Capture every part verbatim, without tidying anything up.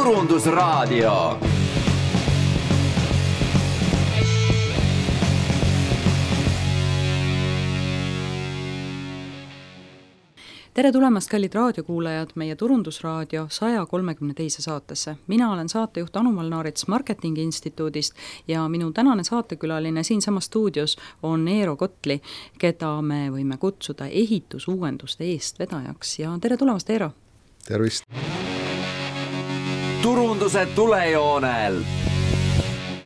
Turundusraadio. Tere tulemast, kallid raadiokuulajad, meie Turundusraadio saja kolmekümne teise saatesse. Mina olen saatejuht Anu Malnaarits Marketingi Instituudist ja minu tänane saatekülaline siinsama stuudios on Eero Kotli, keda me võime kutsuda ehitusuuenduste eestvedajaks. Ja tere tulemast, Eero! Tervist! Turunduse tulejoonel!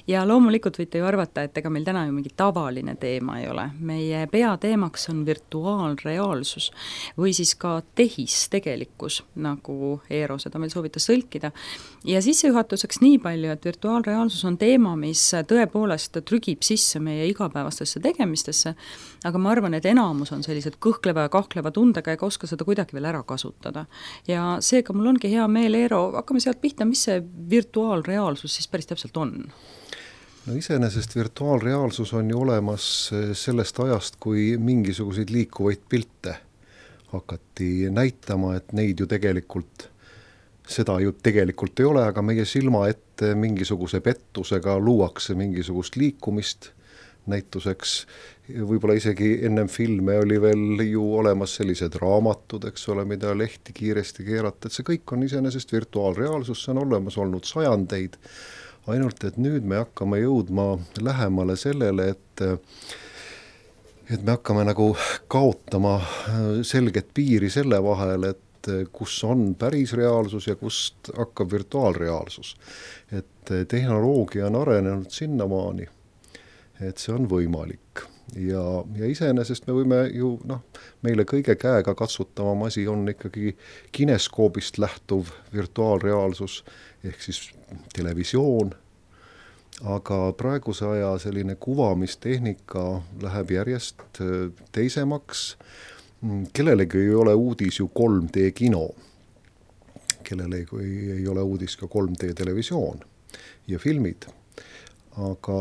Ja loomulikult võite ju arvata, et ega meil täna ju mingi tavaline teema ei ole. Meie peateemaks on virtuaalreaalsus või siis ka tehistegelikkus, nagu Eero seda meil soovitas tõlkida. Ja sissejuhatuseks nii palju, et virtuaalreaalsus on teema, mis tõepoolest trügib sisse meie igapäevastesse tegemistesse, aga ma arvan, et enamus on sellised kõhkleva ja kahkleva tundega ega oska seda kuidagi veel ära kasutada. Ja seega mul ongi hea meel, Eero, hakkame sealt pihta, mis see virtuaalreaalsus siis päris täpselt on? No iseenesest virtuaalreaalsus on ju olemas sellest ajast, kui mingisuguseid liikuvaid pilte hakati näitama, et neid ju tegelikult, seda ju tegelikult ei ole, aga meie silma ette mingisuguse pettusega luuakse mingisugust liikumist näituseks. Võib-olla isegi ennem filme oli veel ju olemas sellised raamatud, eks ole, mida lehti kiiresti keerata, et see kõik on iseenesest virtuaalreaalsus, see on olemas olnud sajandeid. Ainult, et nüüd me hakkame jõudma lähemale sellele, et, et me hakkame nagu kaotama selget piiri selle vahel, et kus on päris reaalsus ja kust hakkab virtuaalreaalsus. Et tehnoloogia on arenenud sinnamaani, et see on võimalik. Ja, ja iseenesest me võime ju, noh, meile kõige käega katsutavam asi on ikkagi kineskoobist lähtuv virtuaalreaalsus, ehk siis televisioon, aga praeguse aja selline kuvamistehnika läheb järjest teisemaks. Kellelegi ei ole uudis ju kolm D kino, kellelegi ei ole uudis ka kolm D televisioon ja filmid, aga,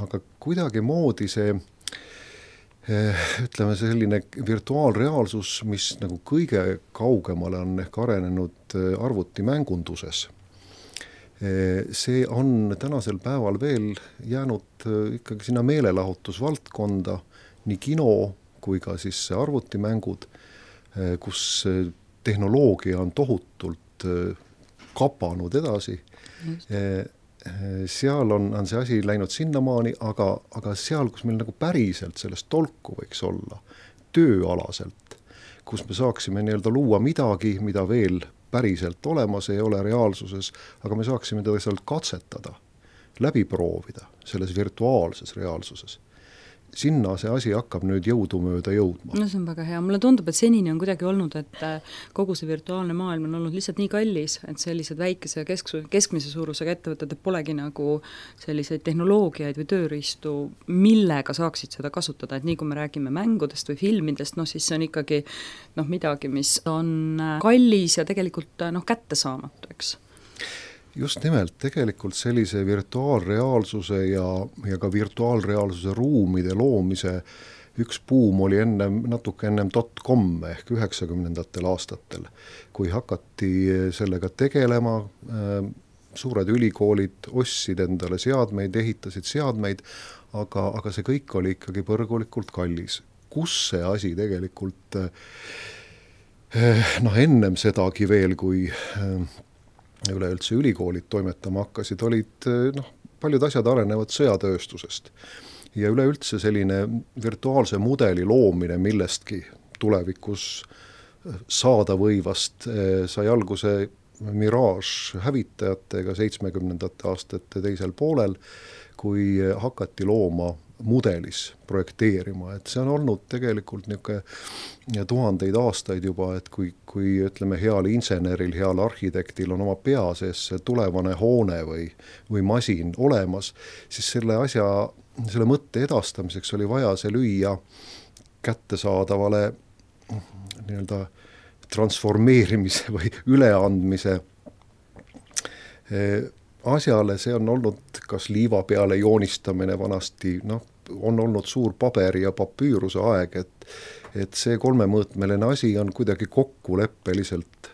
aga kuidagi moodi see ütleme selline virtuaalreaalsus, mis nagu kõige kaugemale on ehk arenenud arvutimängunduses. See on tänasel päeval veel jäänud ikkagi sinna meelelahutusvaldkonda, nii kino kui ka siis arvutimängud, kus tehnoloogia on tohutult kapanud edasi. Just. Seal on, on see asi läinud sinnamaani, aga, aga seal, kus meil nagu päriselt sellest tolku võiks olla, tööalaselt, kus me saaksime nii-öelda luua midagi, mida veel päriselt olemas ei ole reaalsuses, aga me saaksime teda seal katsetada, läbi proovida selles virtuaalses reaalsuses. Sinna see asi hakkab nüüd jõudumööda jõudma. No see on väga hea. Mulle tundub, et senini on kuidagi olnud, et kogu see virtuaalne maailm on olnud lihtsalt nii kallis, et sellised väikese kesk- keskmise suurusega ettevõtted polegi nagu selliseid tehnoloogiaid või tööriistu, millega saaksid seda kasutada. Et nii kui me räägime mängudest või filmidest, no siis see on ikkagi no, midagi, mis on kallis ja tegelikult no, kättesaamatu, eks. Just nimelt, tegelikult sellise virtuaalreaalsuse ja, ja ka virtuaalreaalsuse ruumide loomise üks buum oli ennem, natuke ennem dot com ehk üheksakümnendatel aastatel, kui hakati sellega tegelema, suured ülikoolid ostsid endale seadmeid, ehitasid seadmeid, aga, aga see kõik oli ikkagi põrgulikult kallis. Kus see asi tegelikult noh, ennem sedagi veel, kui üleüldse ülikoolid toimetama hakkasid, olid noh, paljud asjad arenevad sõjatööstusest. Ja üleüldse selline virtuaalse mudeli loomine millestki tulevikus saada võivast sai alguse Mirage hävitajatega seitsmekümnendate aastate teisel poolel, kui hakati looma mudelis projekteerima, et see on olnud tegelikult niisugune tuhandeid aastaid juba, et kui, kui ütleme heal inseneril, heal arhitektil on oma pea sees see tulevane hoone või, või masin olemas, siis selle asja, selle mõtte edastamiseks oli vaja see lüüa kättesaadavale nii-öelda transformeerimise või üleandmise asjale. See on olnud kas liiva peale joonistamine vanasti, noh, on olnud suur paberi ja papüüruse aeg, et, et see kolmemõõtmeline asi on kuidagi kokkuleppeliselt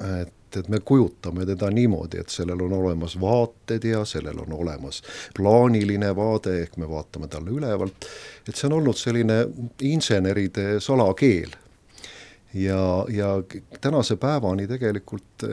et et me kujutame teda niimoodi, et sellel on olemas vaated ja sellel on olemas plaaniline vaade, ehk me vaatame talle ülevalt, et see on olnud selline inseneride salakeel. Ja, ja tänase päevani tegelikult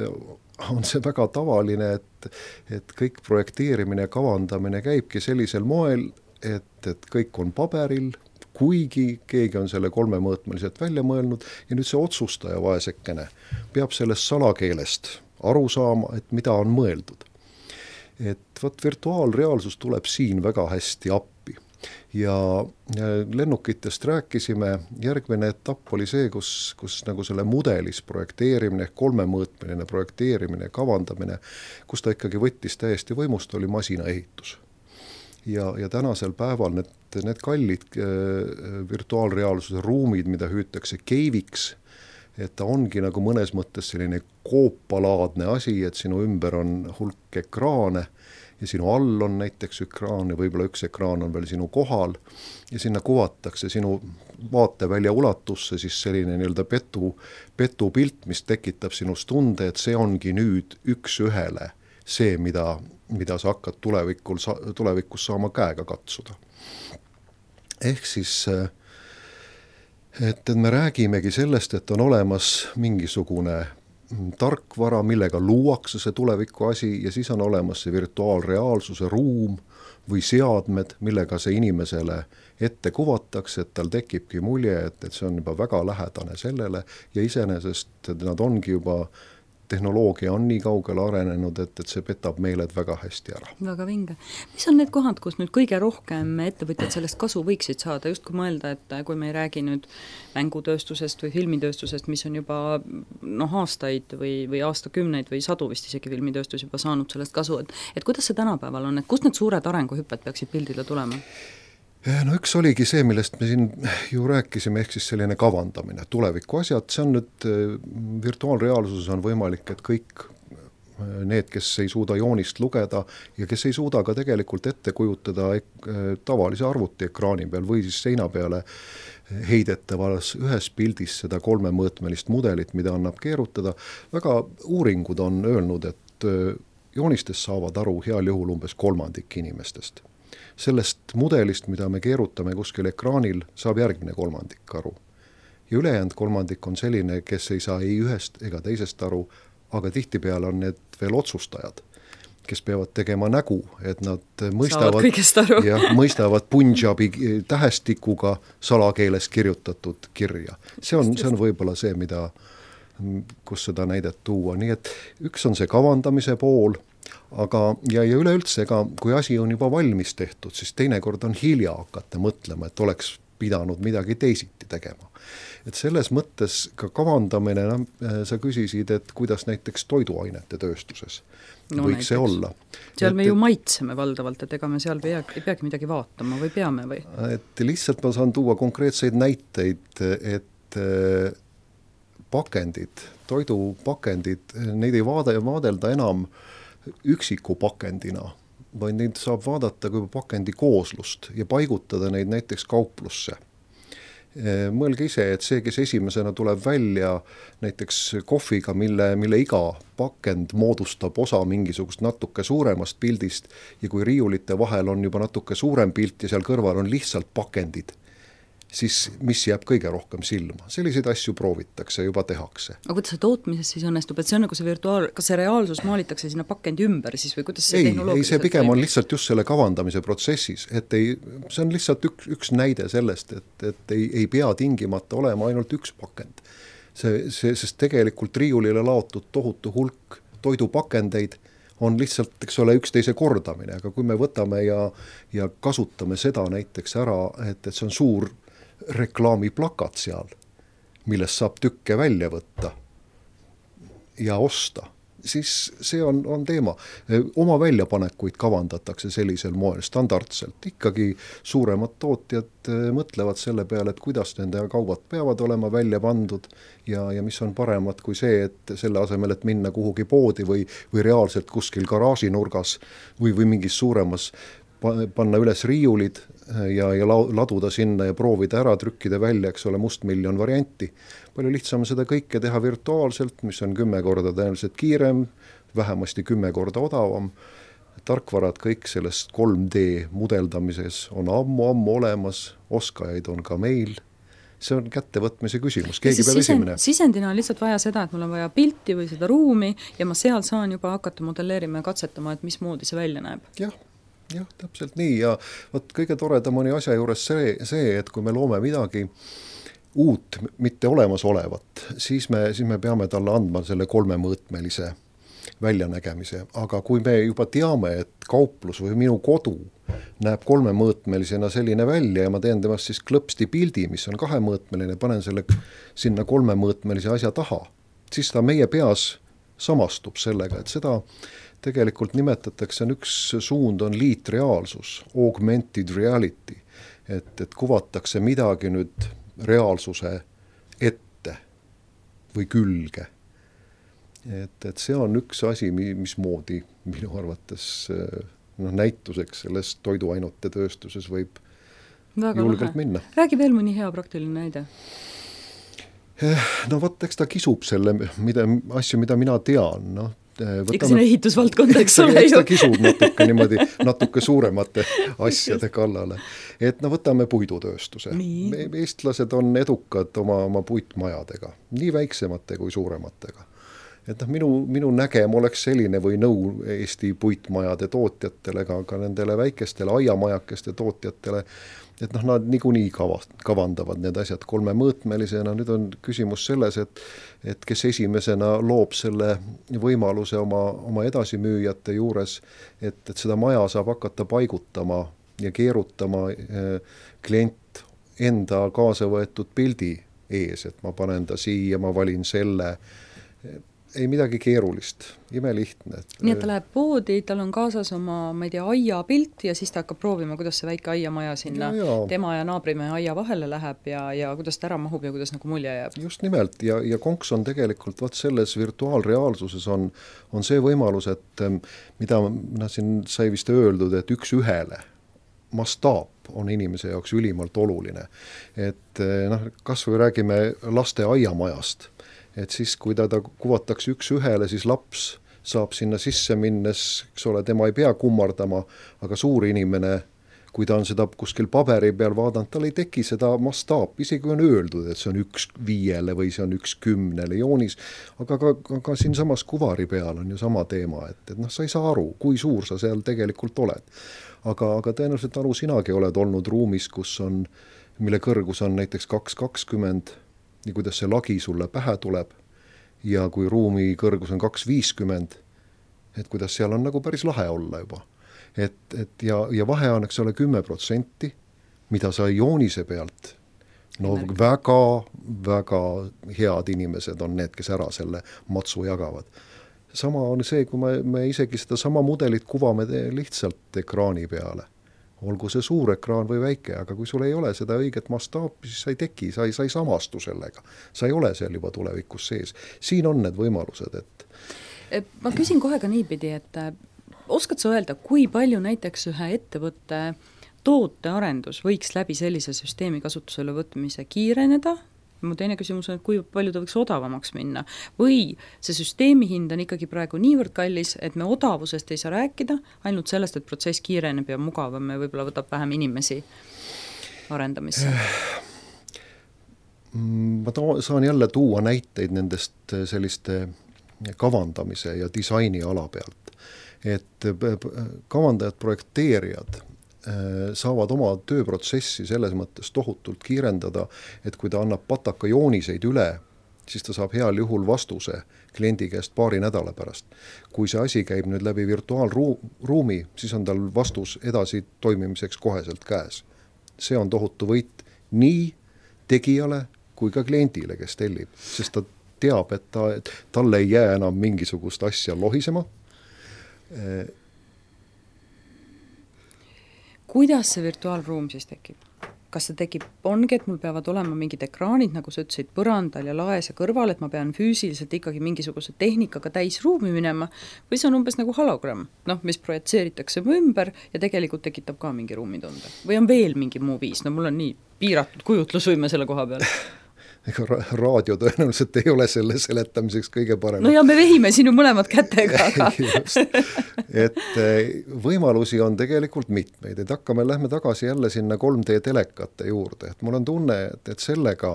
on see väga tavaline, et, et kõik projekteerimine ja kavandamine käibki sellisel moel, et, et kõik on paberil, kuigi keegi on selle kolmemõõtmeliselt välja mõelnud ja nüüd see otsustaja vaesekene peab sellest salakeelest aru saama, et mida on mõeldud. Et võt virtuaalreaalsus tuleb siin väga hästi appi. Ja lennukitest rääkisime, järgmine etapp oli see, kus, kus nagu selle mudelis projekteerimine, kolmemõõtmeline projekteerimine, kavandamine, kus ta ikkagi võttis täiesti võimust, oli masinaehitus. Ja, ja tänasel päeval need, need kallid äh, virtuaalreaalsuse ruumid, mida hüütakse keiviks, et ta ongi nagu mõnes mõttes selline koopalaadne asi, et sinu ümber on hulk ekraane ja sinu all on näiteks ekraan ja võib-olla üks ekraan on veel sinu kohal ja sinna kuvatakse sinu vaatevälja ulatusse siis selline nii-öelda petu, petu pilt, mis tekitab sinust tunde, et see ongi nüüd üks ühele see, mida mida sa hakkad tulevikul, tulevikus saama käega katsuda. Ehk siis, et, et me räägimegi sellest, et on olemas mingisugune tarkvara, millega luuakse see tuleviku asi ja siis on olemas see virtuaalreaalsuse ruum või seadmed, millega see inimesele ette kuvatakse, et tal tekibki mulje, et, et see on juba väga lähedane sellele ja iseenesest nad ongi juba tehnoloogia on nii kaugele arenenud, et, et see petab meeled väga hästi ära. Väga vinge. Mis on need kohad, kus nüüd kõige rohkem ettevõtjad sellest kasu võiksid saada, just kui mõelda, et kui me ei räägi nüüd mängutööstusest või filmitööstusest, mis on juba noh, aastaid või, või aastakümneid või sadu vist isegi filmitööstus juba saanud sellest kasu, et, et kuidas see tänapäeval on, et kust need suured arenguhüpped peaksid pildile tulema? No üks oligi see, millest me siin ju rääkisime, ehk siis selline kavandamine, tuleviku asjad, see on nüüd virtuaalreaalsuses on võimalik, et kõik need, kes ei suuda joonist lugeda ja kes ei suuda ka tegelikult ette kujutada tavalise arvutiekraani peal või siis seina peale heidetavas ühes pildis seda kolmemõõtmelist mudelit, mida annab keerutada. Väga uuringud on öelnud, et joonistest saavad aru heal juhul umbes kolmandik inimestest. Sellest mudelist, mida me keerutame kuskil ekraanil, saab järgmine kolmandik aru. Ja ülejäänud kolmandik on selline, kes ei saa ei ühest ega teisest aru, aga tihtipeale on need veel otsustajad, kes peavad tegema nägu, et nad mõistavad, ja, mõistavad Punjabi tähestikuga salakeeles kirjutatud kirja. See on, see on võib-olla see, mida, kus seda näidet tuua. Nii et üks on see kavandamise pool, aga ja, ja üleüldse, ega kui asi on juba valmis tehtud, siis teinekord on hilja hakata mõtlema, et oleks pidanud midagi teisiti tegema. Et selles mõttes ka kavandamine, no, sa küsisid, et kuidas näiteks toiduainete tööstuses no, võiks näiteks see olla. Seal et, me ju maitseme valdavalt, et ega me seal pea, ei peagi midagi vaatama või peame või? Et lihtsalt ma saan tuua konkreetseid näiteid, et pakendid, toidupakendid, neid ei vaade, vaadelda enam üksiku pakendina, vaid neid saab vaadata kui pakendi kooslust ja paigutada neid näiteks kauplusse. Mõelge ise, et see, kes esimesena tuleb välja näiteks kohviga, mille, mille iga pakend moodustab osa mingisugust natuke suuremast pildist ja kui riiulite vahel on juba natuke suurem pilt ja seal kõrval on lihtsalt pakendid, siis mis jääb kõige rohkem silma. Selliseid asju proovitakse, juba tehakse. Aga kuidas see tootmises siis õnnestub, et see on nagu see virtuaal, kas see reaalsus maalitakse sinna pakendi ümber siis või kuidas see ei, tehnoloogiliselt? Ei, see pigem on lihtsalt just selle kavandamise protsessis, et ei, see on lihtsalt üks, üks näide sellest, et, et ei, ei pea tingimata olema ainult üks pakend. See, see, sest tegelikult riiulile laotud tohutu hulk toidupakendeid on lihtsalt, eks ole, üksteise kordamine, aga kui me võtame ja, ja kasutame seda näiteks ära, et, et see on suur reklaamiplakat seal, millest saab tükke välja võtta ja osta, siis see on, on teema. Oma väljapanekuid kavandatakse sellisel moel standardselt. Ikkagi suuremad tootjad mõtlevad selle peale, et kuidas nende kaubad peavad olema välja pandud ja, ja mis on paremad kui see, et selle asemel, et minna kuhugi poodi või, või reaalselt kuskil garaažinurgas või, või mingis suuremas panna üles riiulid, ja, ja laduda sinna ja proovida ära, trükkida välja, eks ole, mustmiljon varianti. Palju lihtsam seda kõike teha virtuaalselt, mis on kümme korda tõenäoliselt kiirem, vähemasti kümme korda odavam. Tarkvarad kõik sellest kolm D mudeldamises on ammu-ammu olemas, oskajaid on ka meil. See on kättevõtmise küsimus, keegi peab esimene. Sisendina on lihtsalt vaja seda, et mul on vaja pilti või seda ruumi ja ma seal saan juba hakata modelleerima ja katsetama, et mismoodi see välja näeb. Jah, jah, täpselt nii ja võt, kõige toredam on asja juures see, see, et kui me loome midagi uut, mitte olemas olevat, siis me, siis me peame talle andma selle kolmemõõtmelise väljanägemise, aga kui me juba teame, et kauplus või minu kodu näeb kolmemõõtmelisena selline välja ja ma teen temast siis klõpsti pildi, mis on kahemõõtmeline, panen selle sinna kolmemõõtmelise asja taha, siis ta meie peas samastub sellega, et seda tegelikult nimetatakse, on üks suund on liitreaalsus, augmented reality, et, et kuvatakse midagi nüüd reaalsuse ette või külge. Et, et see on üks asi, mismoodi minu arvates no, näituseks selles toiduainete tööstuses võib väga julgelt lahe. Minna. Räägi veel mõni hea praktiline näide. No võt, eks ta kisub selle mida, asju, mida mina tean. No, võtame, Ikka sinna ehitusvaldkonda, eks ole ju. Eks ta kisub natuke, niimoodi, natuke suuremate asjade kallale. Et no võtame puidutööstuse. Nii. Eestlased on edukad oma, oma puitmajadega, nii väiksemate kui suurematega. Et noh, minu, minu nägem oleks selline või nõu Eesti puitmajade tootjatele, ka, ka nendele väikestele aiamajakeste tootjatele, et noh, nad niikuinii kavast, kavandavad need asjad kolmemõõtmelisena. Nüüd on küsimus selles, et, et kes esimesena loob selle võimaluse oma, oma edasimüüjate juures, et, et seda maja saab hakata paigutama ja keerutama eh, klient enda kaasa võetud pildi ees, et ma panen ta siia, ma valin selle. Ei midagi keerulist, imelihtne. Nii, et ta läheb poodi, tal on kaasas oma, ma ei tea, aia pilt ja siis ta hakkab proovima, kuidas see väike aiamaja sinna ja, ja. tema ja naabrimehe aia vahele läheb ja, ja kuidas ta ära mahub ja kuidas nagu mulje jääb. Just nimelt ja, ja konks on tegelikult vaat selles virtuaalreaalsuses on, on see võimalus, et mida no, siin sai vist öeldud, et üks ühele mastaap on inimese jaoks ülimalt oluline. Et noh, kas või räägime laste aiamajast, et siis kui ta, ta kuvatakse üks ühele, siis laps saab sinna sisse minnes, eks ole, tema ei pea kummardama, aga suur inimene, kui ta on seda kuskil paberi peal vaadanud, tal ei teki seda mastaap, isegi on öeldud, et see on üks viiele või see on üks kümnele joonis, aga ka, ka, ka siin samas kuvari peal on ju sama teema, et, et noh, sa ei saa aru, kui suur sa seal tegelikult oled. Aga, aga tõenäoliselt aru sinagi oled olnud ruumis, kus on, mille kõrgus on näiteks kaks kakskümmend, nii kuidas see lagi sulle pähe tuleb ja kui ruumi kõrgus on kaks viiskümmend, et kuidas seal on nagu päris lahe olla juba. Et, et ja, ja vahe on, eks ole, kümme protsenti, mida sa joonise pealt, no väga, väga head inimesed on need, kes ära selle matsu jagavad. Sama on see, kui me, me isegi seda sama mudelit kuvame lihtsalt ekraani peale. Olgu see suur ekraan või väike, aga kui sul ei ole seda õiget mastaapi, siis sa ei teki, sa ei, sa ei samastu sellega. Sa ei ole seal juba tulevikus sees. Siin on need võimalused, et... Ma küsin kohe ka niipidi, et oskad sa öelda, kui palju näiteks ühe ettevõtte tootearendus võiks läbi sellise süsteemi kasutusele võtmise kiireneda? Mu teine küsimus on, et kui palju ta võiks odavamaks minna või see süsteemi hind on ikkagi praegu niivõrd kallis, et me odavusest ei saa rääkida, ainult sellest, et protsess kiireneb ja mugavam ja võib-olla võtab vähem inimesi arendamisse. Ma to- saan jälle tuua näiteid nendest selliste kavandamise ja disaini ala pealt, et kavandajad, projekteerijad saavad oma tööprotsessi selles mõttes tohutult kiirendada, et kui ta annab pataka jooniseid üle, siis ta saab heal juhul vastuse kliendi käest paari nädala pärast. Kui see asi käib nüüd läbi virtuaalruumi, siis on tal vastus edasi toimimiseks koheselt käes. See on tohutu võit nii tegijale kui ka kliendile, kes tellib, sest ta teab, et ta, et talle ei jää enam mingisugust asja lohisema. Kuidas see virtuaalruum siis tekib? kas see tekib, ongi, et mul peavad olema mingid ekraanid, nagu sa ütlesid, põrandal ja laes ja kõrval, et ma pean füüsiliselt ikkagi mingisuguse tehnikaga täis ruumi minema, või see on umbes nagu hologramm, noh, mis projitseeritakse mu ümber ja tegelikult tekitab ka mingi ruumitunde. Või on veel mingi muu viis, no mul on nii piiratud kujutlusvõime selle koha peal. Ega raadio tõenäoliselt ei ole selle seletamiseks kõige parem. No ja me vehime sinu mõlemad kätega. Aga. et võimalusi on tegelikult mitmeid, et hakkame, lähme tagasi jälle sinna kolm D telekate juurde, et mul on tunne, et, et sellega,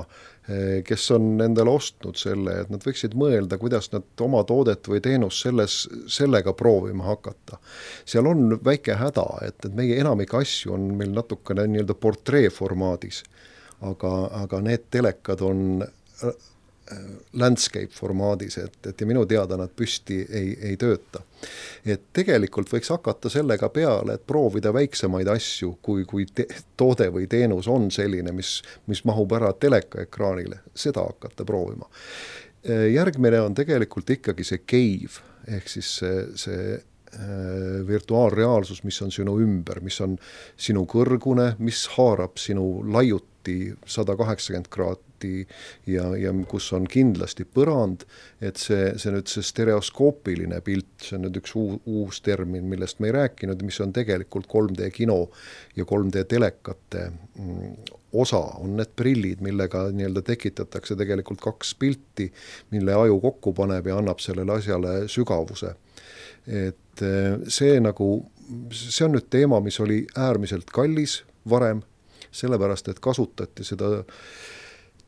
kes on endale ostnud selle, et nad võiksid mõelda, kuidas nad oma toodet või teenust selles, sellega proovima hakata. Seal on väike häda, et, et meie enamik asju on meil natukene nii-öelda portree formaadis, aga, aga need telekad on landscape formaadis, et, et ja minu teada nad püsti ei, ei tööta. Et tegelikult võiks hakata sellega peale, et proovida väiksemaid asju, kui, kui te, toode või teenus on selline, mis, mis mahub ära telekaekraanile, seda hakata proovima. Järgmine on tegelikult ikkagi see cave, ehk siis see, see virtuaalreaalsus, mis on sinu ümber, mis on sinu kõrgune, mis haarab sinu laiut sada kaheksakümmend kraadi ja, ja kus on kindlasti põrand, et see, see nüüd see stereoskoopiline pilt, see on nüüd üks uus, uus termin, millest me ei rääkinud, mis on tegelikult kolm D kino ja kolm D telekate osa, on need prillid, millega nii-öelda tekitatakse tegelikult kaks pilti, mille aju kokku paneb ja annab sellele asjale sügavuse. Et see nagu, see on nüüd teema, mis oli äärmiselt kallis varem, sellepärast, et kasutati seda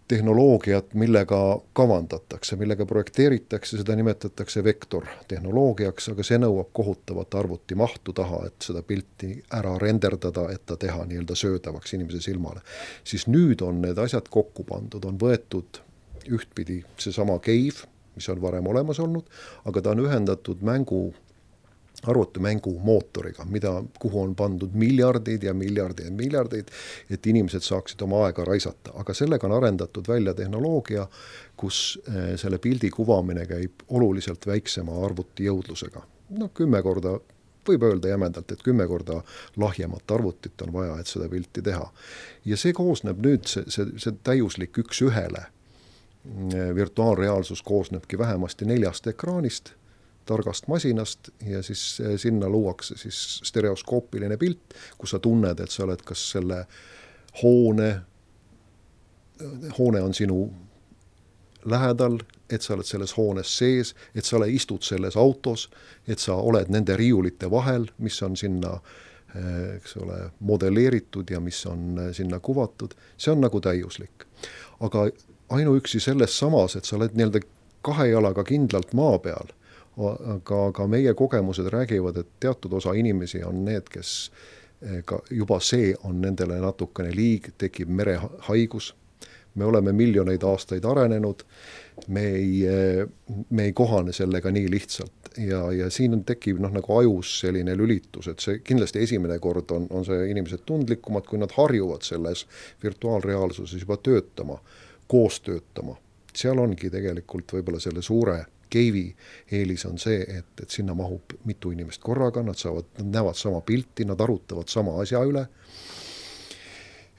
tehnoloogiat, millega kavandatakse, millega projekteeritakse, seda nimetatakse vektortehnoloogiaks, aga see nõuab kohutavat arvutimahtu taha, et seda pilti ära renderdada, et ta teha nii-öelda söödavaks inimese silmale. Siis nüüd on need asjad kokku pandud, on võetud ühtpidi seesama cave, mis on varem olemas olnud, aga ta on ühendatud mängu arvutimängu mootoriga, mida, kuhu on pandud miljardid ja miljardid ja miljardid, et inimesed saaksid oma aega raisata. Aga sellega on arendatud välja tehnoloogia, kus selle pildi kuvamine käib oluliselt väiksema arvuti jõudlusega. No kümme korda, võib öelda jämedalt, et kümme korda lahjemat arvutit on vaja, et seda pilti teha. Ja see koosneb nüüd, see, see, see täiuslik üks ühele. Virtuaalreaalsus koosnebki vähemasti neljast ekraanist, targast masinast ja siis sinna luuakse siis stereoskoopiline pilt, kus sa tunned, et sa oled kas selle hoone, hoone on sinu lähedal, et sa oled selles hoones sees, et sa oled, istud selles autos, et sa oled nende riiulite vahel, mis on sinna eks ole, modelleeritud ja mis on sinna kuvatud. See on nagu täiuslik. Aga ainuüksi selles samas, et sa oled nii-öelda kahe jalaga kindlalt maa peal, aga, aga meie kogemused räägivad, et teatud osa inimesi on need, kes ka juba see on nendele natukene liig, tekib merehaigus. Me oleme miljoneid aastaid arenenud, me ei, me ei kohane sellega nii lihtsalt ja, ja siin on tekib noh, nagu ajus selline lülitus, et see kindlasti esimene kord on, on see inimesed tundlikumad, kui nad harjuvad selles virtuaalreaalsuses juba töötama, koos töötama. Seal ongi tegelikult võib-olla selle suure Keivi eelis on see, et, et sinna mahub mitu inimest korraga, nad saavad, nad näevad sama pilti, nad arutavad sama asja üle.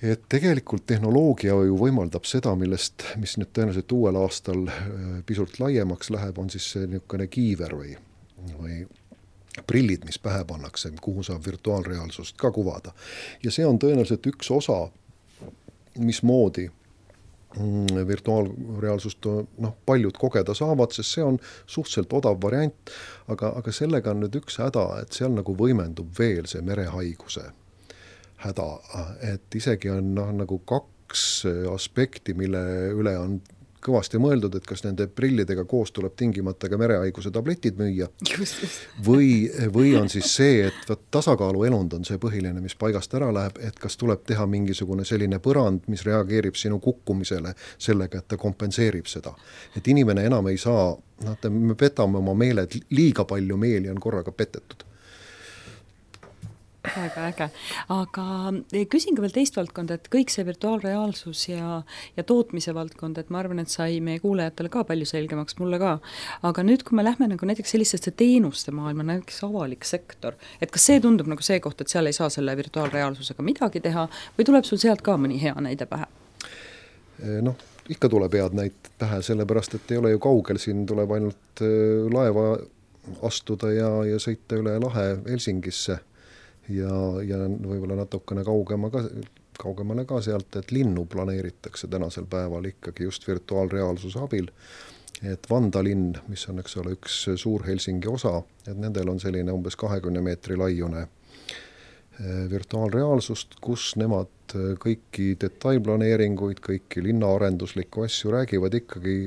Et tegelikult tehnoloogia ju võimaldab seda, millest, mis nüüd tõenäoliselt uuel aastal pisut laiemaks läheb, on siis see niisugune kiiver või, või prillid, mis pähe pannakse, kuhu saab virtuaalreaalsust ka kuvada. Ja see on tõenäoliselt üks osa, mismoodi virtuaalreaalsust noh, paljud kogeda saavad, sest see on suhteliselt odav variant, aga, aga sellega on nüüd üks häda, et seal nagu võimendub veel see merehaiguse häda, et isegi on noh, nagu kaks aspekti, mille üle on kõvasti mõeldud, et kas nende prillidega koos tuleb tingimata ka merehaiguse tabletid müüa või, või on siis see, et võt, tasakaalu elund on see põhiline, mis paigast ära läheb, et kas tuleb teha mingisugune selline põrand, mis reageerib sinu kukkumisele sellega, et ta kompenseerib seda. Et inimene enam ei saa, noh, me petame oma meeled, liiga palju meeli on korraga petetud. väga äge. Aga küsin ka veel teist valdkonda, et kõik see virtuaalreaalsus ja, ja tootmise valdkond, et ma arvan, et sai meie kuulajatele ka palju selgemaks, mulle ka. Aga nüüd, kui me lähme nagu näiteks sellistesse teenuste maailma, näiteks avalik sektor, et kas see tundub nagu see koht, et seal ei saa selle virtuaalreaalsusega midagi teha või tuleb sul sealt ka mõni hea näide pähe? Noh, ikka tuleb head näited pähe, sellepärast, et ei ole ju kaugel, siin tuleb ainult laeva astuda ja, ja sõita üle lahe Helsingisse ja, ja võib-olla natukene kaugema ka, kaugemale ka sealt, et linnu planeeritakse tänasel päeval ikkagi just virtuaalreaalsuse abil, et Vanda linn, mis on, eks ole, üks suur Helsingi osa, et nendel on selline umbes kahekümne meetri laiune virtuaalreaalsust, kus nemad kõiki detailplaneeringuid, kõiki linnaarenduslikku asju räägivad ikkagi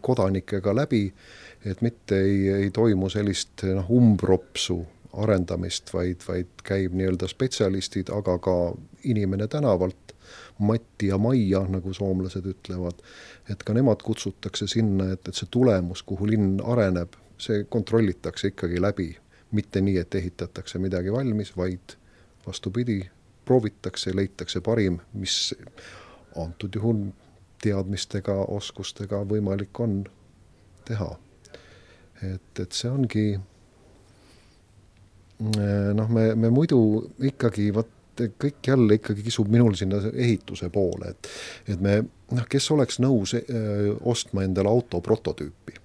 kodanikega läbi, et mitte ei, ei toimu sellist noh, umbropsu arendamist, vaid, vaid käib nii-öelda spetsialistid, aga ka inimene tänavalt, Matti ja Maija, nagu soomlased ütlevad, et ka nemad kutsutakse sinna, et, et see tulemus, kuhu linn areneb, see kontrollitakse ikkagi läbi, mitte nii, et ehitatakse midagi valmis, vaid vastupidi, proovitakse, leitakse parim, mis antud juhul teadmistega, oskustega võimalik on teha. Et, et see ongi, noh, me, me muidu ikkagi, vaat, kõik jälle ikkagi kisub minul sinna ehituse poole, et, et me, noh, kes oleks nõus öö, ostma endale auto prototüüpi.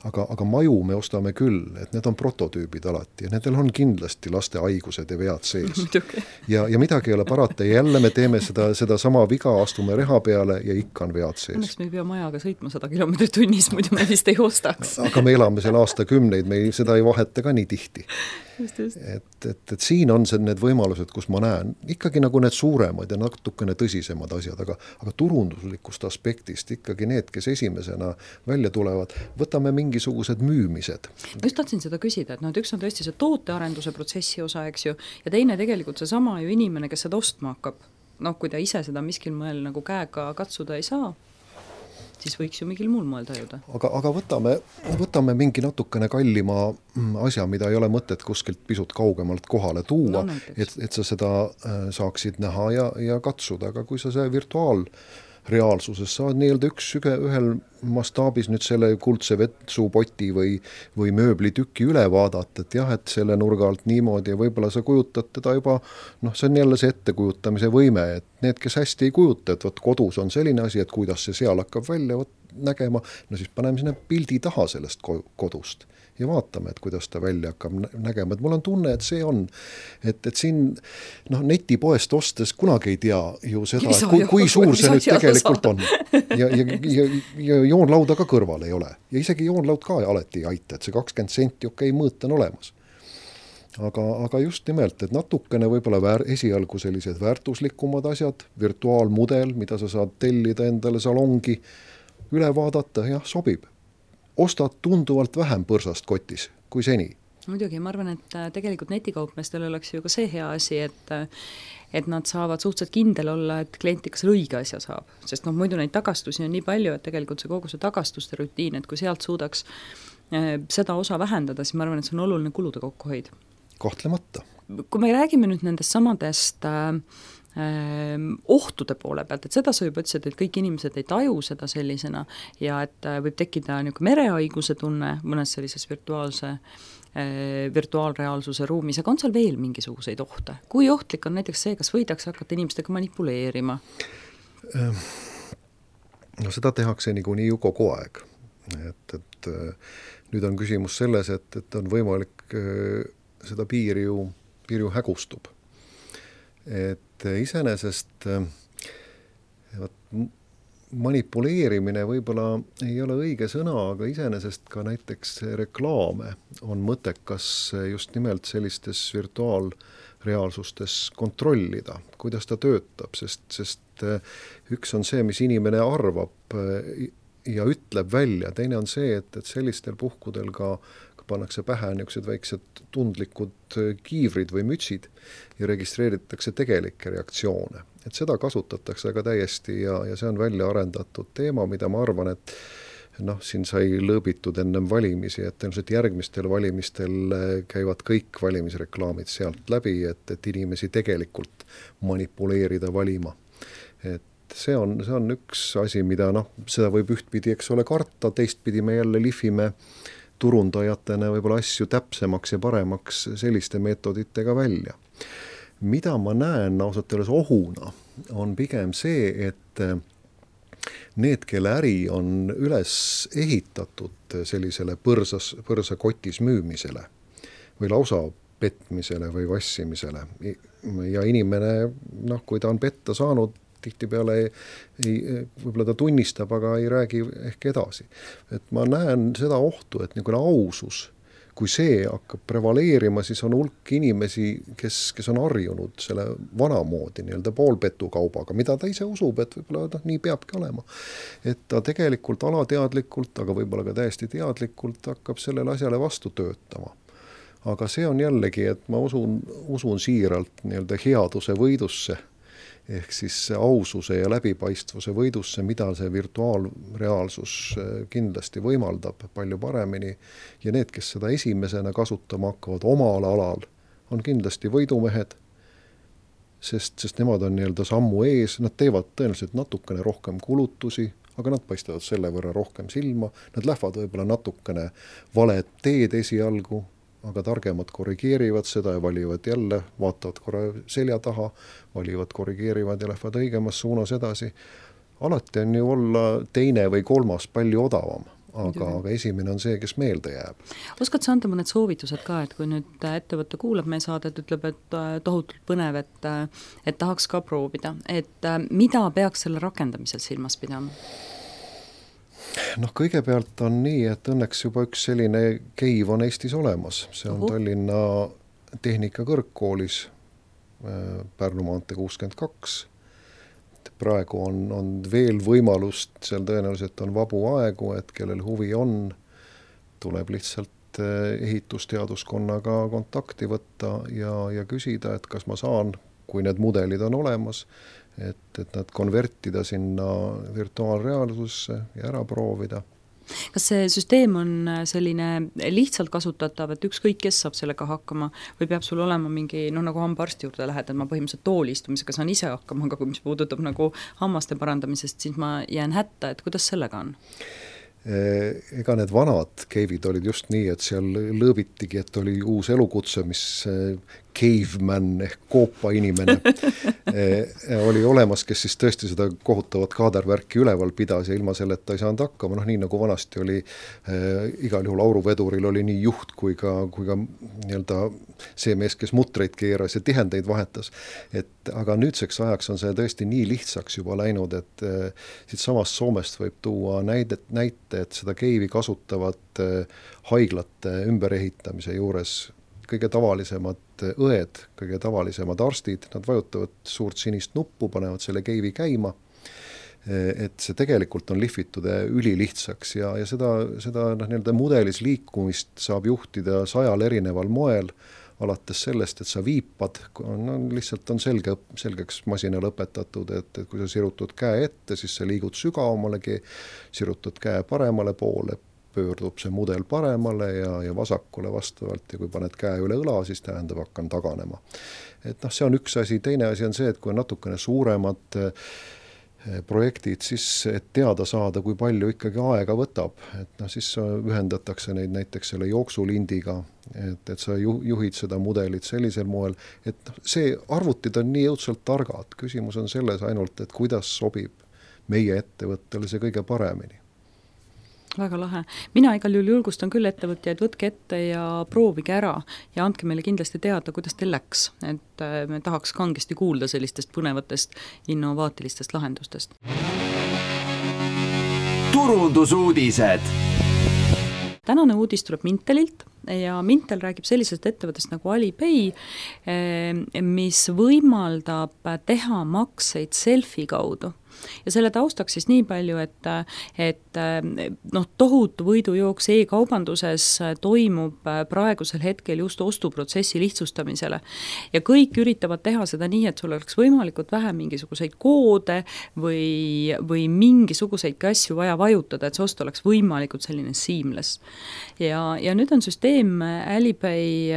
Aga, aga maju me ostame küll, et need on prototüübid alati ja nendel on kindlasti laste haigused ja vead sees. ja, ja midagi ei ole parata ja jälle me teeme seda, seda sama viga, astume reha peale ja ikka on vead sees. Õnneks me ei pea majaga sõitma sada kilomeetrit tunnis, muidu me vist ei ostaks. aga me elame seal aastakümneid, me ei, seda ei vaheta ka nii tihti. Just, just. Et, et, et siin on see need võimalused, kus ma näen ikkagi nagu need suuremad ja natukene tõsisemad asjad, aga, aga turunduslikust aspektist ikkagi need, kes esimesena välja tulevad, võtame mingisugused müümised. Ma just tahtsin seda küsida, et, no, et üks on tõesti see tootearenduse protsessi osa, eks ju, ja teine tegelikult see sama ju inimene, kes seda ostma hakkab. Noh, kui ta ise seda miskil moel nagu käega katsuda ei saa, siis võiks ju mingil muul moel tajuda. Aga, aga võtame, võtame mingi natukene kallima asja, mida ei ole mõtet kuskilt pisut kaugemalt kohale tuua, no, et, et sa seda saaksid näha ja, ja katsuda, aga kui sa see virtuaalreaalsuses saad nii-öelda üks ühel mastaabis nüüd selle kuldse vetsupoti või, või mööblitüki üle vaadata, et jah, et selle nurga alt niimoodi ja võib-olla sa kujutad teda juba, noh, see on jälle see ettekujutamise võime, et need, kes hästi ei kujuta, et võt kodus on selline asi, et kuidas see seal hakkab välja võt, nägema, no siis paneme sinna pildi taha sellest kodust ja vaatame, et kuidas ta välja hakkab nägema, et mul on tunne, et see on, et, et siin noh, netipoest ostes kunagi ei tea ju seda, et kui, kui suur see nüüd tegelikult on ja, ja, ja, ja joonlauda ka kõrval ei ole ja isegi joonlaud ka alati ei aita, et see kakskümmend senti okei mõõt on olemas. Aga, aga just nimelt, et natukene võib-olla väär, esialgu sellised väärtuslikumad asjad, virtuaalmudel, mida sa saad tellida endale salongi, üle vaadata, jah, sobib. Ostad tunduvalt vähem põrsast kotis kui seni. Muidugi, ma arvan, et tegelikult netikaupmeestel oleks ju ka see hea asi, et et nad saavad suhteliselt kindel olla, et klient ikka selle õige asja saab. Sest noh, muidu neid tagastusi on nii palju, et tegelikult see kogu see tagastuste rutiin, et kui sealt suudaks seda osa vähendada, siis ma arvan, et see on oluline kulude kokkuhoid. Kahtlemata. Kui me räägime nüüd nendest samadest äh, ohtude poole pealt, et seda sa juba ütlesid, et kõik inimesed ei taju seda sellisena ja et võib tekkida niisugune merehaiguse tunne mõnes sellises virtuaalse, virtuaalreaalsuse ruumis, aga on seal veel mingisuguseid ohte? Kui ohtlik on näiteks see, kas võidakse hakata inimestega manipuleerima? No seda tehakse niikuinii ju kogu aeg. Et, et nüüd on küsimus selles, et, et on võimalik seda piiri ju, piiri ju hägustub. Et iseenesest manipuleerimine võib-olla ei ole õige sõna, aga iseenesest ka näiteks reklaame on mõttekas just nimelt sellistes virtuaalreaalsustes kontrollida, kuidas ta töötab, sest, sest üks on see, mis inimene arvab ja ütleb välja, teine on see, et, et sellistel puhkudel ka pannakse pähe niisugused väiksed tundlikud kiivrid või mütsid ja registreeritakse tegelikke reaktsioone. Et seda kasutatakse aga täiesti ja, ja see on välja arendatud teema, mida ma arvan, et noh, siin sai lõõbitud ennem valimisi, et ilmselt järgmistel valimistel käivad kõik valimisreklaamid sealt läbi, et, et inimesi tegelikult manipuleerida valima. Et see on, see on üks asi, mida noh, seda võib ühtpidi, eks ole, karta, teistpidi me jälle lihvime turundajatena võib-olla asju täpsemaks ja paremaks selliste meetoditega välja. Mida ma näen ausalt öeldes ohuna, on pigem see, et need, kelle äri on üles ehitatud sellisele põrsas, põrsakotis müümisele või lausa petmisele või vassimisele ja inimene, noh, kui ta on petta saanud, tihtipeale ei, ei, võib-olla ta tunnistab, aga ei räägi ehk edasi. Et ma näen seda ohtu, et niisugune ausus, kui see hakkab prevaleerima, siis on hulk inimesi, kes, kes on harjunud selle vanamoodi nii-öelda poolpetukaubaga, mida ta ise usub, et võib-olla noh, nii peabki olema. Et ta tegelikult alateadlikult, aga võib-olla ka täiesti teadlikult hakkab sellele asjale vastu töötama. Aga see on jällegi, et ma usun, usun siiralt nii-öelda headuse võidusse, ehk siis aususe ja läbipaistvuse võidusse, mida see virtuaalreaalsus kindlasti võimaldab palju paremini. Ja need, kes seda esimesena kasutama hakkavad omal alal, on kindlasti võidumehed, sest, sest nemad on nii-öelda sammu ees, nad teevad tõenäoliselt natukene rohkem kulutusi, aga nad paistavad selle võrra rohkem silma, nad lähevad võib-olla natukene valed teed esialgu, aga targemad korrigeerivad seda ja valivad jälle, vaatavad korra selja taha, valivad, korrigeerivad ja lähevad õigemas suunas edasi. Alati on ju olla teine või kolmas palju odavam, aga, aga esimene on see, kes meelde jääb. Oskad sa anda mõned soovitused ka, et kui nüüd ettevõtte kuulab meie saadet, ütleb, et tohutult põnev, et, et tahaks ka proovida, et mida peaks selle rakendamisel silmas pidama? Noh, kõigepealt on nii, et õnneks juba üks selline keiv on Eestis olemas. See on Ohu. Tallinna Tehnikakõrgkoolis Pärnu maantee kuuskümmend kaks. Praegu on, on veel võimalust, seal tõenäoliselt on vabu aegu, et kellel huvi on, tuleb lihtsalt ehitusteaduskonnaga kontakti võtta ja, ja küsida, et kas ma saan, kui need mudelid on olemas, et, et nad konvertida sinna virtuaalreaalsusse ja ära proovida. Kas see süsteem on selline lihtsalt kasutatav, et ükskõik kes saab sellega hakkama või peab sul olema mingi, noh nagu hambaarsti juurde lähed, et ma põhimõtteliselt toolistumisega saan ise hakkama, aga kui mis puudutab nagu hammaste parandamisest, siis ma jään hätta, et kuidas sellega on? Ega need vanad keivid olid just nii, et seal lõõbitigi, et oli uus elukutse, mis caveman ehk koopa inimene oli olemas, kes siis tõesti seda kohutavat kaadervärki üleval pidas ja ilma selleta ei saanud hakkama, noh nii nagu vanasti oli äh, igal juhul auruveduril oli nii juht kui ka, kui ka nii-öelda see mees, kes mutreid keeras ja tihendeid vahetas, et aga nüüdseks ajaks on see tõesti nii lihtsaks juba läinud, et äh, siit samast Soomest võib tuua näidet, näite, et seda keivi kasutavad äh, haiglate ümberehitamise juures kõige tavalisemad õed, kõige tavalisemad arstid, nad vajutavad suurt sinist nuppu, panevad selle keivi käima, et see tegelikult on lihvitud ülilihtsaks ja, ja seda, seda noh, nii-öelda mudelis liikumist saab juhtida sajal erineval moel, alates sellest, et sa viipad, no, lihtsalt on selge, selgeks masinal õpetatud, et, et kui sa sirutad käe ette, siis sa liigud sügavamalegi, sirutad käe paremale poole, pöördub see mudel paremale ja, ja vasakule vastavalt ja kui paned käe üle õla, siis tähendab, hakkan taganema. Et noh, see on üks asi, teine asi on see, et kui on natukene suuremad projektid, siis et teada saada, kui palju ikkagi aega võtab, et noh, siis ühendatakse neid näiteks selle jooksulindiga, et, et sa juhid seda mudelit sellisel moel, et noh, see arvutid on nii jõudsalt targad, küsimus on selles ainult, et kuidas sobib meie ettevõttele see kõige paremini. Väga lahe. Mina igal juhul julgustan küll ettevõtjaid, võtke ette ja proovige ära ja andke meile kindlasti teada, kuidas teil läks, et me tahaks kangesti kuulda sellistest põnevatest innovaatilistest lahendustest. Turundusuudised. Tänane uudis tuleb Mintelilt ja Mintel räägib sellisest ettevõttest nagu Alipay, mis võimaldab teha makseid selfie kaudu. Ja selle taustaks siis nii palju, et, et noh, tohutu võidujooks e-kaubanduses toimub praegusel hetkel just ostuprotsessi lihtsustamisele. Ja kõik üritavad teha seda nii, et sul oleks võimalikult vähe mingisuguseid koode või, või mingisuguseid asju vaja vajutada, et see ost oleks võimalikult selline seamless. Ja, ja nüüd on süsteem Alipay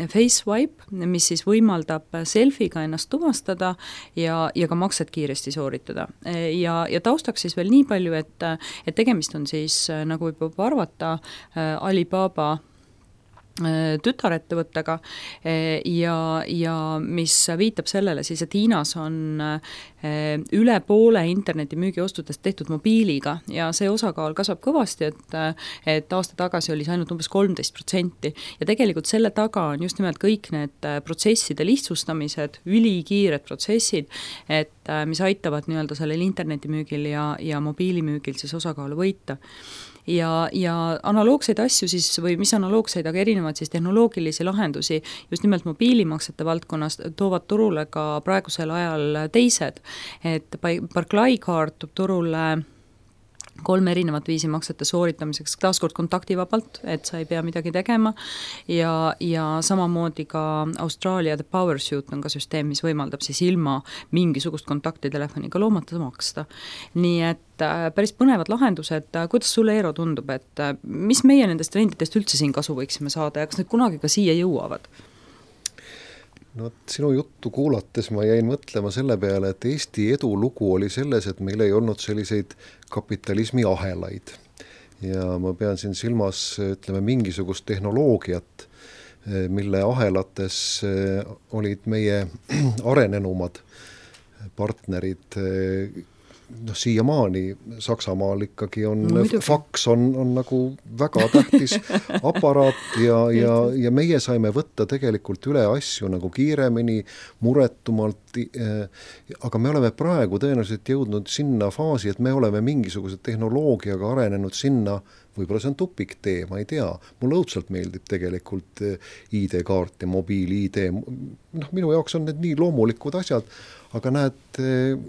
Face Swipe, mis siis võimaldab selfiega ennast tuvastada ja, ja ka makset kiiresti sooritada. Ja, ja taustaks siis veel nii palju, et, et tegemist on siis, nagu võib arvata, Alibaba tütarettevõttega ja, ja mis viitab sellele siis, et Hiinas on üle poole internetimüügiostudest tehtud mobiiliga ja see osakaal kasvab kõvasti, et, et aasta tagasi oli see ainult umbes kolmteist protsenti ja tegelikult selle taga on just nimelt kõik need protsesside lihtsustamised, ülikiired protsessid, et mis aitavad nii-öelda sellel internetimüügil ja, ja mobiilimüügil siis osakaalu võita. Ja, ja analoogseid asju siis, või mis analoogseid, aga erinevad siis tehnoloogilisi lahendusi just nimelt mobiilimaksete valdkonnas toovad turule ka praegusel ajal teised, et Barclay Card toob turule kolm erinevat viisi maksete sooritamiseks, taaskord kontaktivabalt, et sa ei pea midagi tegema ja, ja samamoodi ka Austraalia The Power Suite on ka süsteem, mis võimaldab siis ilma mingisugust kontaktitelefoniga loomata maksta. Nii et päris põnevad lahendused, kuidas sulle, Eero, tundub, et mis meie nendest trendidest üldse siin kasu võiksime saada ja kas need kunagi ka siia jõuavad? No sinu juttu kuulates ma jäin mõtlema selle peale, et Eesti edulugu oli selles, et meil ei olnud selliseid kapitalismi ahelaid. Ja ma pean siin silmas, ütleme, mingisugust tehnoloogiat, mille ahelates olid meie arenenumad partnerid. Noh, siiamaani Saksamaal ikkagi on no, faks on, on nagu väga tähtis aparaat ja, ja, ja meie saime võtta tegelikult üle asju nagu kiiremini, muretumalt, aga me oleme praegu tõenäoliselt jõudnud sinna faasi, et me oleme mingisuguse tehnoloogiaga arenenud sinna, võib-olla see on tupiktee, ma ei tea, mulle õudselt meeldib tegelikult I D-kaart ja mobiil-I D, noh, minu jaoks on need nii loomulikud asjad, aga näed,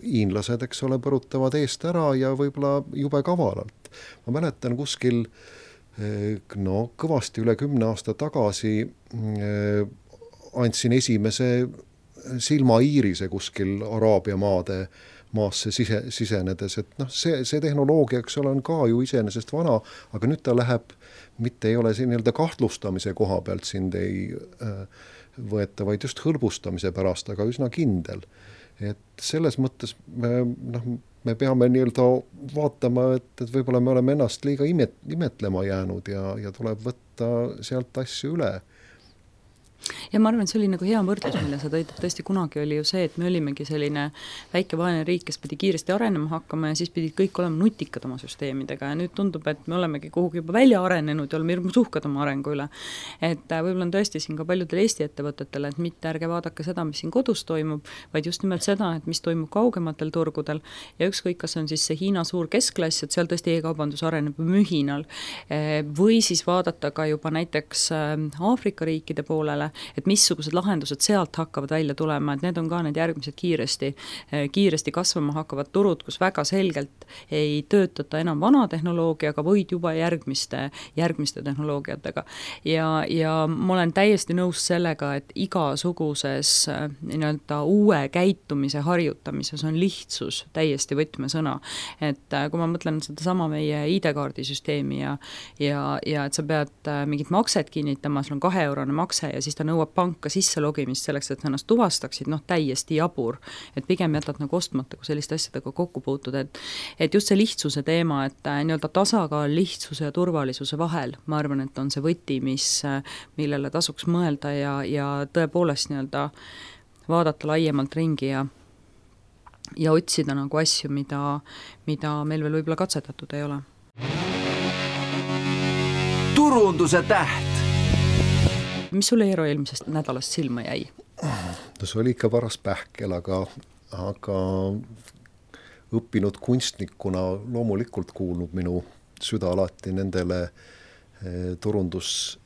hiinlased, eks ole, põrutavad eest ära ja võib-olla jube kavalalt. Ma mäletan kuskil no, kõvasti üle kümne aasta tagasi andsin esimese silmaiirise kuskil Araabia maade maasse sise, sisenedes, et noh, see, see tehnoloogia, eks ole, on ka ju iseenesest vana, aga nüüd ta läheb, mitte ei ole siin nii-öelda kahtlustamise koha pealt sind ei võeta, vaid just hõlbustamise pärast, aga üsna kindel. Et selles mõttes me, noh, me peame nii-öelda vaatama, et, et võib-olla me oleme ennast liiga imet, imetlema jäänud ja, ja tuleb võtta sealt asju üle. Ja ma arvan, et see oli nagu hea võrdlus, mille sa tõid, et tõesti kunagi oli ju see, et me olimegi selline väike vaene riik, kes pidi kiiresti arenema hakkama ja siis pidid kõik olema nutikad oma süsteemidega ja nüüd tundub, et me olemegi kuhugi juba välja arenenud ja oleme hirmus uhkad oma arengu üle. Et võib-olla on tõesti siin ka paljudel Eesti ettevõtetele, et mitte ärge vaadake seda, mis siin kodus toimub, vaid just nimelt seda, et mis toimub kaugematel turgudel ja ükskõik, kas on siis see Hiina suur keskklass, et seal tõesti e-kaubandus areneb mühinal või siis vaadata ka juba näiteks Aafrika riikide poolele, et missugused lahendused sealt hakkavad välja tulema, et need on ka need järgmised kiiresti, kiiresti kasvama hakkavad turud, kus väga selgelt ei töötata enam vana tehnoloogiaga, vaid juba järgmiste, järgmiste tehnoloogiatega. Ja, ja ma olen täiesti nõus sellega, et igasuguses nii-öelda uue käitumise harjutamises on lihtsus täiesti võtmesõna. Et kui ma mõtlen seda sama meie I D-kaardi süsteemi ja, ja, ja et sa pead mingit makset kinnitama, sul on kahe eurone makse ja siis ta nõuab panka sisse logimist selleks, et ennast tuvastaksid, noh täiesti jabur, et pigem jätad nagu ostmata, kui selliste asjadega kokku puutud, et, et just see lihtsuse teema, et nii-öelda tasakaal lihtsuse ja turvalisuse vahel, ma arvan, et on see võti, mis, millele tasuks mõelda ja, ja tõepoolest nii-öelda vaadata laiemalt ringi ja, ja otsida nagu asju, mida, mida meil veel võib-olla katsetatud ei ole. Turunduse täht. Mis sulle, Eero, eelmisest nädalast silma jäi? No see oli ikka paras pähkel, aga, aga õppinud kunstnikuna loomulikult kuulnud minu süda alati nendele turundus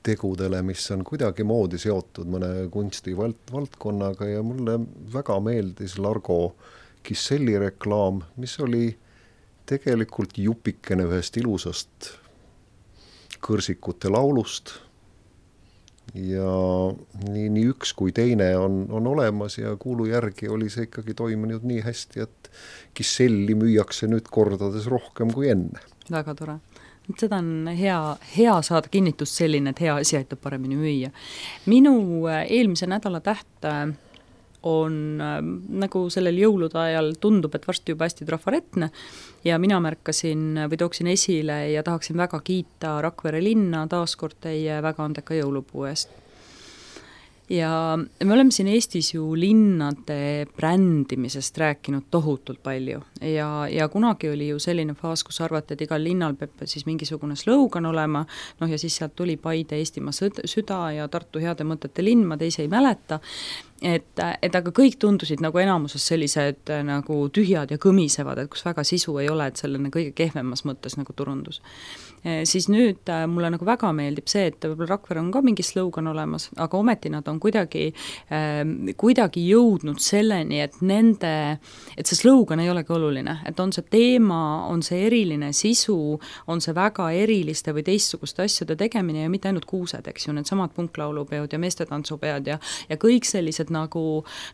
tegudele, mis on kuidagi moodi seotud mõne kunstivaldkonnaga ja mulle väga meeldis Largo Kisselli reklaam, mis oli tegelikult jupikene ühest ilusast kõrsikute laulust ja nii, nii üks kui teine on, on olemas ja kuulu järgi oli see ikkagi toiminud nii hästi, et Kisselli müüakse nüüd kordades rohkem kui enne. Väga tore. Seda on hea, hea saada kinnitust selline, et hea asi aitab paremini müüa. Minu eelmise nädala täht on nagu sellel jõulude ajal tundub, et varsti juba hästi trafaretne ja mina märkasin või tooksin esile ja tahaksin väga kiita Rakvere linna taaskord teie väga andeka jõulupuu eest. Ja me oleme siin Eestis ju linnade brändimisest rääkinud tohutult palju ja, ja kunagi oli ju selline faas, kus arvati, et igal linnal peab siis mingisugune slogan olema, noh ja siis sealt tuli Paide Eestimaa süda ja Tartu heade mõtete linn, ma teisi ei mäleta, et, et aga kõik tundusid nagu enamuses sellised nagu tühjad ja kõmisevad, et kus väga sisu ei ole, et selline kõige kehvemas mõttes nagu turundus. E, siis nüüd mulle nagu väga meeldib see, et võib-olla Rakvere on ka mingi slogan olemas, aga ometi nad on kuidagi, äh, kuidagi jõudnud selleni, et nende, et see slogan ei olegi oluline, et on see teema, on see eriline sisu, on see väga eriliste või teistsuguste asjade tegemine ja mitte ainult kuused, eks ju, need samad punklaulupeod ja meestetantsupeod ja, ja kõik sellised nagu,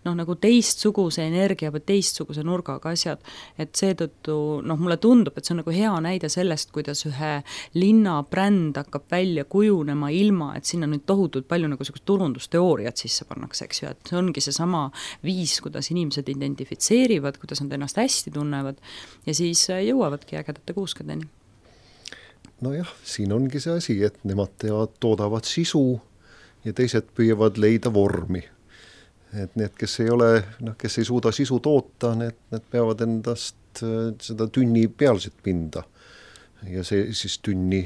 noh, nagu teistsuguse energia või teistsuguse nurgaga asjad, et seetõttu, noh, mulle tundub, et see on nagu hea näide sellest, kuidas ühe linna bränd hakkab välja kujunema ilma, et sinna nüüd tohutult palju nagu turundusteooriat sisse pannakse, eks ju, et see ongi see sama viis, kuidas inimesed identifitseerivad, kuidas nad ennast hästi tunnevad ja siis jõuavadki ägedate kuuskedeni. Nojah, siin ongi see asi, et nemad teavad, toodavad sisu ja teised püüavad leida vormi. Et need, kes ei ole, noh, kes ei suuda sisu toota, need, need peavad endast seda tünni pealset pinda ja see siis tünni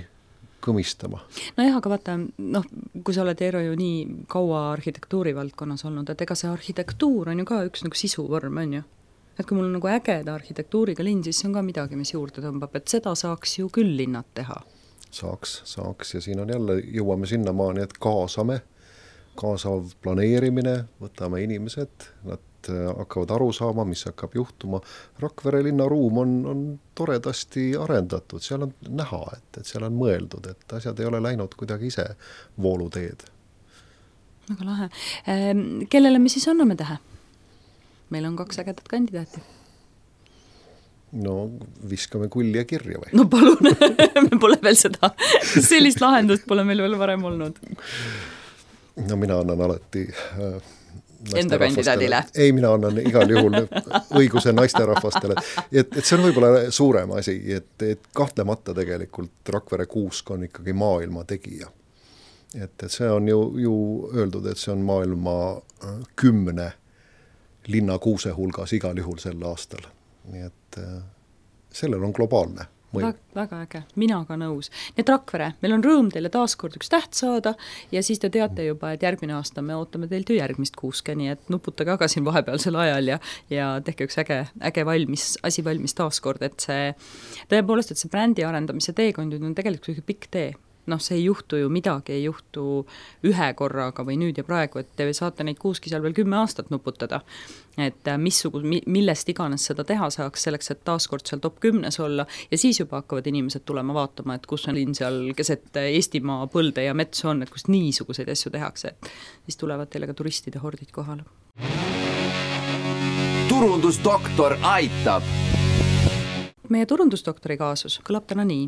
kõmistama. No jah, aga vaata, noh, kui sa oled Eero ju nii kaua arhitektuuri valdkonnas olnud, et ega see arhitektuur on ju ka üks nagu sisuvorm, on ju? Et kui mul on nagu ägeda arhitektuuriga linn, siis see on ka midagi, mis juurde tõmbab, et seda saaks ju küll linnad teha. Saaks, saaks ja siin on jälle, jõuame sinnamaani, et kaasame, kaasav planeerimine, võtame inimesed, nad hakkavad aru saama, mis hakkab juhtuma. Rakvere linnaruum on, on toredasti arendatud, seal on näha, et, et seal on mõeldud, et asjad ei ole läinud kuidagi ise vooluteed. Väga lahe. Kellele me siis anname tähe? Meil on kaks ägedat kandidaati. No viskame kulli ja kirja või? No palun, me pole veel seda, sellist lahendust pole meil veel varem olnud. No mina annan alati äh, enda kandidaadile. Ei, mina annan igal juhul õiguse naisterahvastele. Et, et see on võib-olla suurem asi, et, et kahtlemata tegelikult Rakvere kuusk on ikkagi maailma tegija. Et, et see on ju, ju öeldud, et see on maailma kümne linna kuuse hulgas igal juhul sel aastal. Nii et sellel on globaalne. Väga, väga äge, mina ka nõus. Nii et Rakvere, meil on rõõm teile taaskord üks täht saada ja siis te teate juba, et järgmine aasta me ootame teilt ju järgmist kuuske, nii et nuputage aga siin vahepealsel ajal ja, ja tehke üks äge, äge valmis, asi valmis taaskord, et see tõepoolest, et see brändi arendamise teekond on tegelikult üks pikk tee. Noh, see ei juhtu ju midagi, ei juhtu ühe korraga või nüüd ja praegu, et te saate neid kuuski seal veel kümme aastat nuputada. Et missugu, millest iganes seda teha saaks selleks, et taaskord seal top kümnes olla ja siis juba hakkavad inimesed tulema vaatama, et kus on linn seal keset Eestimaa põlde ja mets on, et kus niisuguseid asju tehakse, et siis tulevad teile ka turistide hordid kohale. Turundusdoktor aitab! Meie turundusdoktori kaasus kõlab täna nii.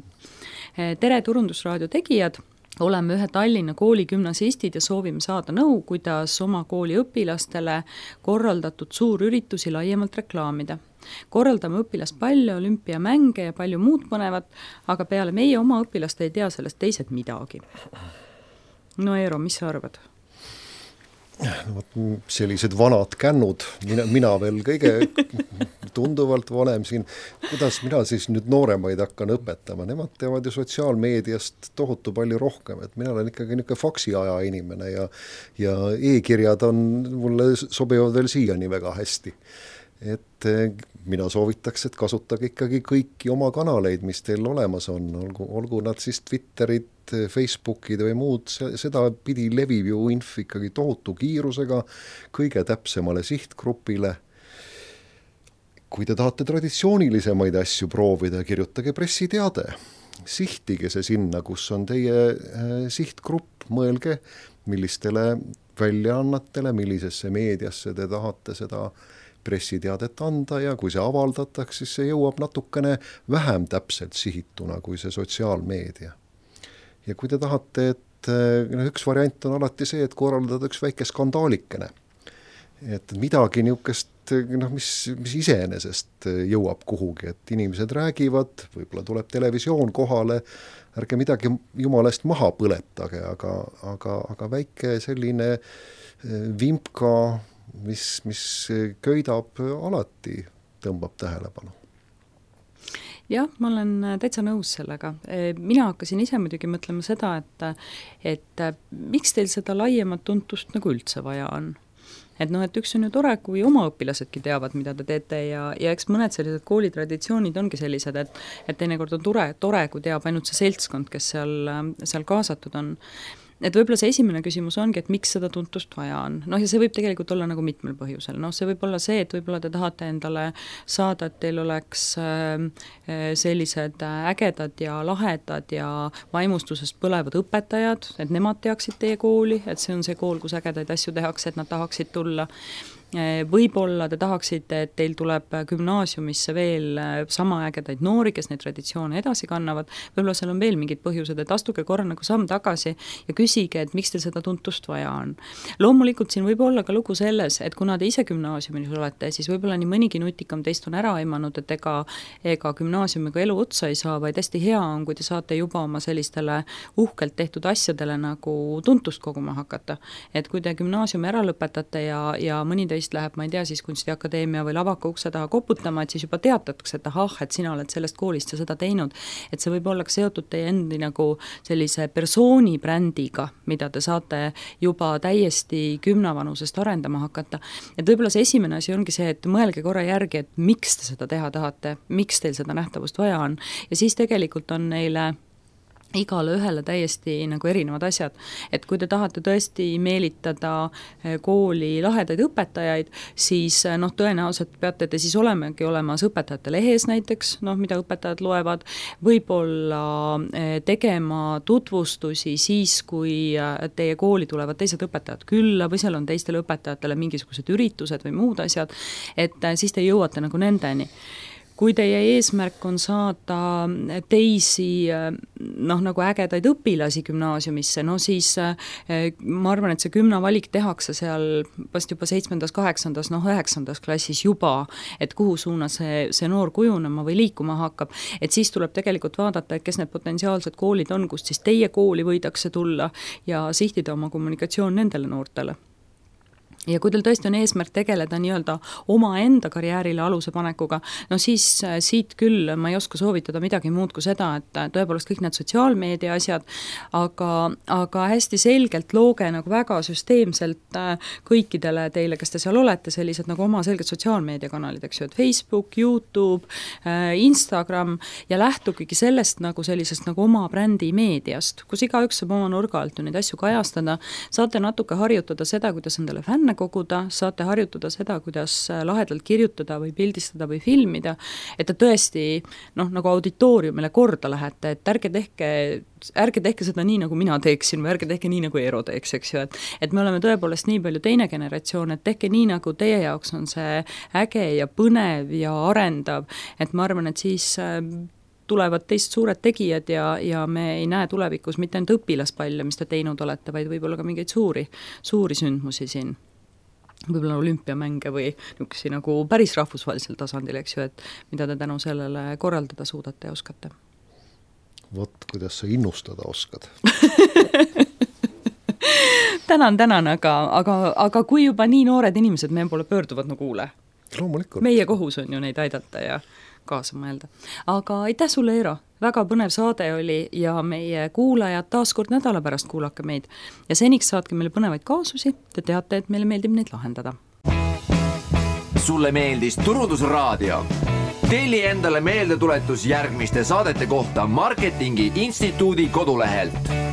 Tere Turundusraadio tegijad, oleme ühe Tallinna kooli gümnasistid ja soovime saada nõu, kuidas oma kooli õpilastele korraldatud suurüritusi laiemalt reklaamida. Korraldame õpilaspalle, olümpiamänge ja palju muud põnevat, aga peale meie oma õpilaste ei tea sellest teised midagi. No Eero, mis sa arvad? No, sellised vanad kännud, mina, mina veel kõige tunduvalt vanem siin, kuidas mina siis nüüd nooremaid hakkan õpetama, nemad teevad ju sotsiaalmeediast tohutu palju rohkem, et mina olen ikkagi niisugune faksiaja inimene ja, ja e-kirjad on, mulle sobivad veel siiani väga hästi. Et mina soovitaks, et kasutage ikkagi kõiki oma kanaleid, mis teil olemas on, olgu, olgu nad siis Twitterid, Facebookid või muud, seda pidi levib ju inf ikkagi tohutu kiirusega kõige täpsemale sihtgrupile. Kui te tahate traditsioonilisemaid asju proovida, kirjutage pressiteade, sihtige see sinna, kus on teie sihtgrupp, mõelge, millistele väljaannatele, millisesse meediasse te tahate seda pressiteadet anda ja kui see avaldatakse, siis see jõuab natukene vähem täpselt sihituna kui see sotsiaalmeedia. Ja kui te tahate, et no, üks variant on alati see, et korraldada üks väike skandaalikene, et midagi niukest, noh, mis, mis iseenesest jõuab kuhugi, et inimesed räägivad, võib-olla tuleb televisioon kohale, ärge midagi jumalast maha põletage, aga, aga, aga väike selline vimpka, mis, mis köidab alati, tõmbab tähelepanu. Jah, ma olen täitsa nõus sellega. Mina hakkasin ise muidugi mõtlema seda, et, et miks teil seda laiemat tuntust nagu üldse vaja on. Et noh, et üks on ju tore, kui oma õpilasedki teavad, mida te teete ja, ja eks mõned sellised koolitraditsioonid ongi sellised, et, et teinekord on tore, tore, kui teab ainult see seltskond, kes seal, seal kaasatud on. Et võib-olla see esimene küsimus ongi, et miks seda tuntust vaja on. Noh, ja see võib tegelikult olla nagu mitmel põhjusel. Noh, see võib olla see, et võib-olla te tahate endale saada, et teil oleks sellised ägedad ja lahedad ja vaimustusest põlevad õpetajad, et nemad teaksid teie kooli, et see on see kool, kus ägedaid asju tehakse, et nad tahaksid tulla. Võib-olla te tahaksite, et teil tuleb gümnaasiumisse veel sama ägedaid noori, kes neid traditsioone edasi kannavad. Võib-olla seal on veel mingid põhjused, et astuge korra nagu samm tagasi ja küsige, et miks teil seda tuntust vaja on. Loomulikult siin võib olla ka lugu selles, et kuna te ise gümnaasiumis olete, siis võib-olla nii mõnigi nutikam teist on ära aimanud, et ega, ega gümnaasiumiga elu otsa ei saa, vaid hästi hea on, kui te saate juba oma sellistele uhkelt tehtud asjadele nagu tuntust koguma hakata. Et kui te gümnaasiumi ära lõpetate ja, ja mõni te läheb, ma ei tea, siis kunstiakadeemia või lavaka ukse taha koputama, et siis juba teatatakse, et ahah, et sina oled sellest koolist ja seda teinud. Et see võib olla seotud teie endi nagu sellise persooni brändiga, mida te saate juba täiesti kümnavanusest arendama hakata. Et võib-olla see esimene asi ongi see, et mõelge korra järgi, et miks te seda teha tahate, miks teil seda nähtavust vaja on. Ja siis tegelikult on neile igale ühele täiesti nagu erinevad asjad. Et kui te tahate tõesti meelitada kooli lahedaid õpetajaid, siis noh, tõenäoliselt peate te siis olemegi olemas õpetajate lehes näiteks, noh, mida õpetajad loevad, võib-olla tegema tutvustusi siis, kui teie kooli tulevad teised õpetajad külla või seal on teistele õpetajatele mingisugused üritused või muud asjad, et siis te jõuate nagu nendeni. Kui teie eesmärk on saada teisi noh, nagu ägedaid õpilasi gümnaasiumisse, no siis ma arvan, et see kümna valik tehakse seal vast juba seitsmendas, kaheksandas, noh üheksandas klassis juba, et kuhu suuna see, see noor kujunema või liikuma hakkab. Et siis tuleb tegelikult vaadata, et kes need potentsiaalsed koolid on, kust siis teie kooli võidakse tulla ja sihtida oma kommunikatsioon nendele noortele. Ja kui teil tõesti on eesmärk tegeleda nii-öelda oma enda karjäärile aluse panekuga, no siis siit küll ma ei oska soovitada midagi muud kui seda, et tõepoolest kõik need sotsiaalmeedia asjad, aga, aga hästi selgelt looge nagu väga süsteemselt kõikidele teile, kes te seal olete, sellised nagu oma selged sotsiaalmeediakanalid, eks ju, et Facebook, YouTube, Instagram ja lähtugigi sellest nagu sellisest nagu oma brändi meediast, kus igaüks saab oma nurga alt neid asju kajastada, saate natuke harjutada seda, kuidas endale fänne koguda, saate harjutada seda, kuidas lahedalt kirjutada või pildistada või filmida, et te tõesti noh, nagu auditooriumile korda lähete, et ärge tehke, ärge tehke seda nii, nagu mina teeksin või ärge tehke nii, nagu Eero teeks, eks ju, et, et me oleme tõepoolest nii palju teine generatsioon, et tehke nii, nagu teie jaoks on see äge ja põnev ja arendav, et ma arvan, et siis tulevad teist suured tegijad ja, ja me ei näe tulevikus mitte ainult õpilaspalle, mis te teinud olete, vaid võib-olla ka mingeid suuri, suuri sündmusi siin. Võib-olla olümpiamänge või niisugusi nagu päris rahvusvahelisel tasandil, eks ju, et mida te tänu sellele korraldada suudate ja oskate. Vot, kuidas sa innustada oskad. tänan, tänan, aga, aga, aga kui juba nii noored inimesed meie poole pöörduvad, no kuule. Loomulikult. Meie kohus on ju neid aidata ja kaasa mõelda. Aga aitäh sulle, Eero. Väga põnev saade oli ja meie kuulajad taas kord nädala pärast kuulake meid. Ja seniks saatke meile põnevaid kaasusi, te teate, et meile meeldib neid lahendada. sulle meeldis Turundusraadio? Telli endale meeldetuletus järgmiste saadete kohta Marketingi Instituudi kodulehelt.